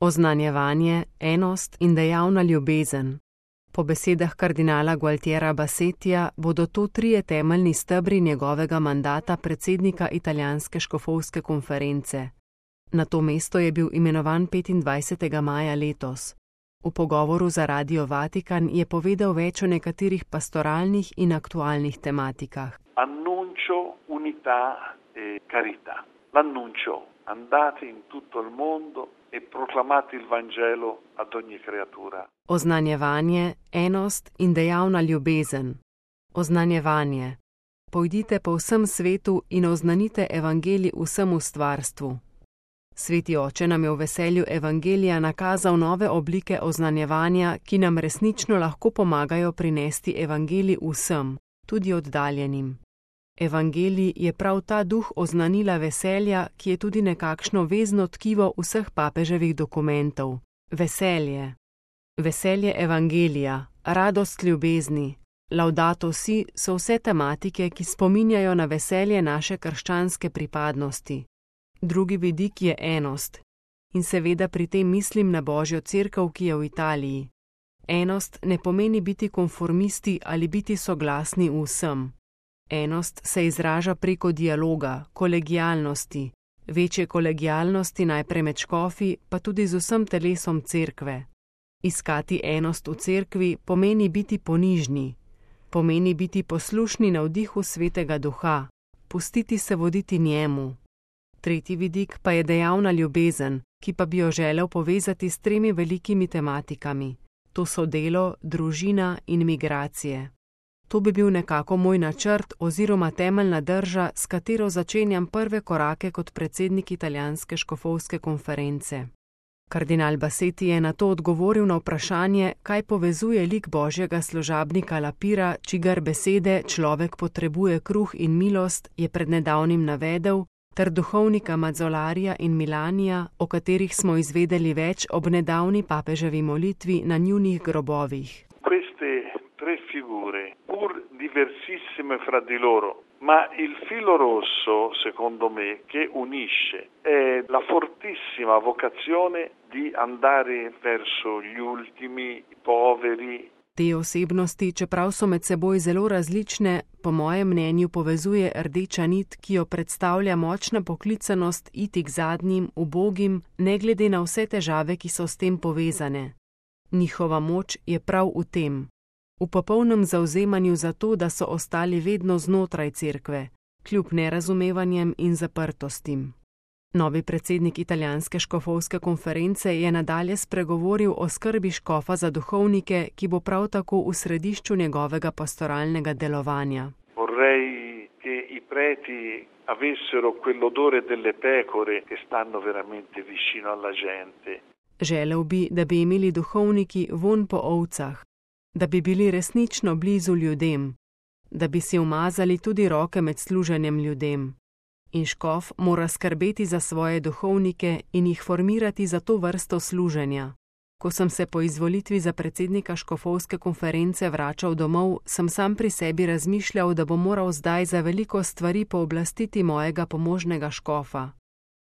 Oznanjevanje, enost in dejavna ljubezen. Po besedah kardinala Gualtiera Bassetija bodo to trije temeljni stebri njegovega mandata predsednika italijanske škofovske konference. Na to mesto je bil imenovan 25. maja letos. V pogovoru za Radio Vatikan je povedal več o nekaterih pastoralnih in aktualnih tematikah. Annuncio unità e carità. L'annuncio, andate in tutto il mondo e proclamate il Vangelo ad ogni creatura. Oznanjevanje, enost in dejavna ljubezen. Oznanjevanje. Pojdite po vsem svetu in oznanite evangelij vsemu stvarstvu. Sveti oče nam je v veselju evangelija nakazal nove oblike oznanjevanja, ki nam resnično lahko pomagajo prinesti evangelij vsem, tudi oddaljenim. Evangelij je prav ta duh oznanila veselja, ki je tudi nekakšno vezno tkivo vseh papeževih dokumentov. Veselje. Veselje evangelija, radost ljubezni, laudato si so vse tematike, ki spominjajo na veselje naše krščanske pripadnosti. Drugi vidik je enost. In seveda pri tem mislim na Božjo cerkev, ki je v Italiji. Enost ne pomeni biti konformisti ali biti soglasni v vsem. Enost se izraža preko dialoga, kolegialnosti, večje kolegialnosti najprej med škofi, pa tudi z vsem telesom cerkve. Iskati enost v cerkvi pomeni biti ponižni, pomeni biti poslušni navdihu Svetega Duha, pustiti se voditi njemu. Tretji vidik pa je dejavna ljubezen, ki pa bi jo želel povezati s tremi velikimi tematikami. To so delo, družina in migracije. To bi bil nekako moj načrt oziroma temeljna drža, s katero začenjam prve korake kot predsednik italijanske škofovske konference. Kardinal Bassetti je na to odgovoril na vprašanje, kaj povezuje lik Božjega služabnika Lapira, čigar besede človek potrebuje kruh in milost, je pred nedavnim navedel, ter duhovnika Mazzolarija in Milanija, o katerih smo izvedeli več ob nedavni papeževi molitvi na njunih grobovih. Queste tre figure, pur diversissime fra di loro, ma il filo rosso, secondo me, che unisce è la fortissima vocazione di andare verso gli ultimi, i poveri. Te osebnosti, čeprav so med seboj zelo različne, po mojem mnenju povezuje rdeča nit, ki jo predstavlja močna poklicanost iti k zadnjim, ubogim, ne glede na vse težave, ki so s tem povezane. Njihova moč je prav v tem. V popolnem zavzemanju za to, da so ostali vedno znotraj cerkve, kljub nerazumevanjem in zaprtostim. Novi predsednik italijanske škofovske konference je nadalje spregovoril o skrbi škofa za duhovnike, ki bo prav tako v središču njegovega pastoralnega delovanja. Vorrei che i preti avessero quell'odore delle pecore che stanno veramente vicino alla gente. Želel bi, da bi imeli duhovniki vonj po ovcah, da bi bili resnično blizu ljudem, da bi si umazali tudi roke med služenjem ljudem. In škof mora skrbeti za svoje duhovnike in jih formirati za to vrsto služenja. Ko sem se po izvolitvi za predsednika škofovske konference vračal domov, sem sam pri sebi razmišljal, da bom moral zdaj za veliko stvari pooblastiti mojega pomožnega škofa.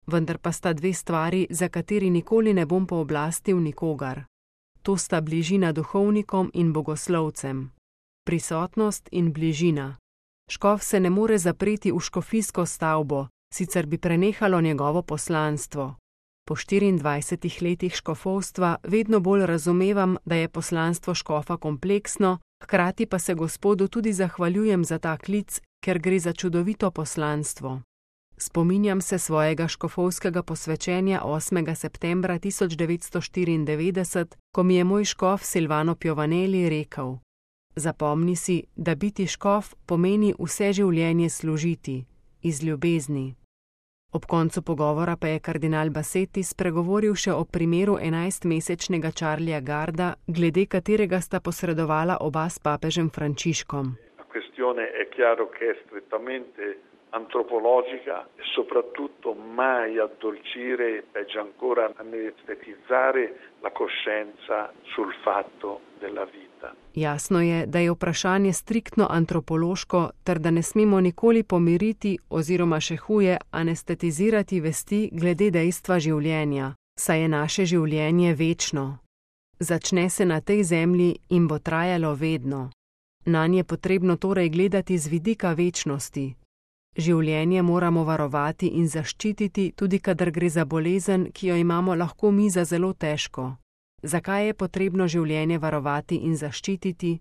Vendar pa sta dve stvari, za kateri nikoli ne bom pooblastil nikogar. To sta bližina duhovnikom in bogoslovcem. Prisotnost in bližina. Škof se ne more zapreti v škofijsko stavbo, sicer bi prenehalo njegovo poslanstvo. Po 24 letih škofovstva vedno bolj razumevam, da je poslanstvo škofa kompleksno, hkrati pa se Gospodu tudi zahvaljujem za ta klic, ker gre za čudovito poslanstvo. Spominjam se svojega škofovskega posvečenja 8. septembra 1994, ko mi je moj škof Silvano Piovanelli rekel: Zapomni si, da biti škof pomeni vse življenje služiti, iz ljubezni. Ob koncu pogovora pa je kardinal Bassetti spregovoril še o primeru 11-mesečnega Charlija Garda, glede katerega sta posredovala oba s papežem Frančiškom. La questione è chiaro che è strettamente antropologica e soprattutto mai addolcire, peggio ancora anestetizzare la coscienza sul fatto della vita. Jasno je, da je vprašanje striktno antropološko, ter da ne smemo nikoli pomiriti oziroma še huje anestetizirati vesti glede dejstva življenja, Saj je naše življenje večno. Začne se na tej zemlji in bo trajalo vedno. Nanj je potrebno torej gledati z vidika večnosti. Življenje moramo varovati in zaščititi, tudi kadar gre za bolezen, ki jo imamo lahko mi za zelo težko. Zakaj je potrebno življenje varovati in zaščititi?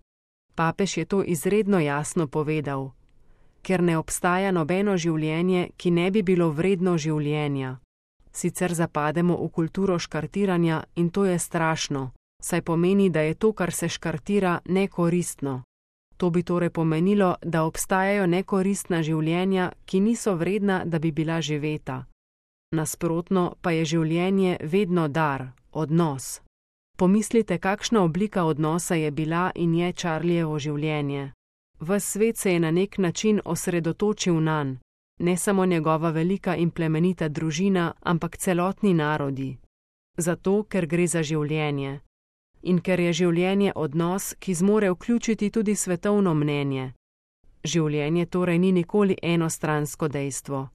Papež je to izredno jasno povedal. Ker ne obstaja nobeno življenje, ki ne bi bilo vredno življenja. Sicer zapademo v kulturo škartiranja in to je strašno, saj pomeni, da je to, kar se škartira, nekoristno. To bi torej pomenilo, da obstajajo nekoristna življenja, ki niso vredna, da bi bila živeta. Nasprotno pa je življenje vedno dar, odnos. Pomislite, kakšna oblika odnosa je bila in je Charlievo življenje. Ves svet se je na nek način osredotočil nanj, ne samo njegova velika in plemenita družina, ampak celotni narodi. Zato, ker gre za življenje. In ker je življenje odnos, ki zmore vključiti tudi svetovno mnenje. Življenje torej ni nikoli enostransko dejstvo.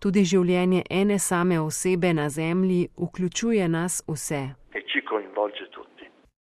Tudi življenje ene same osebe na zemlji vključuje nas vse. E ci coinvolge tutti.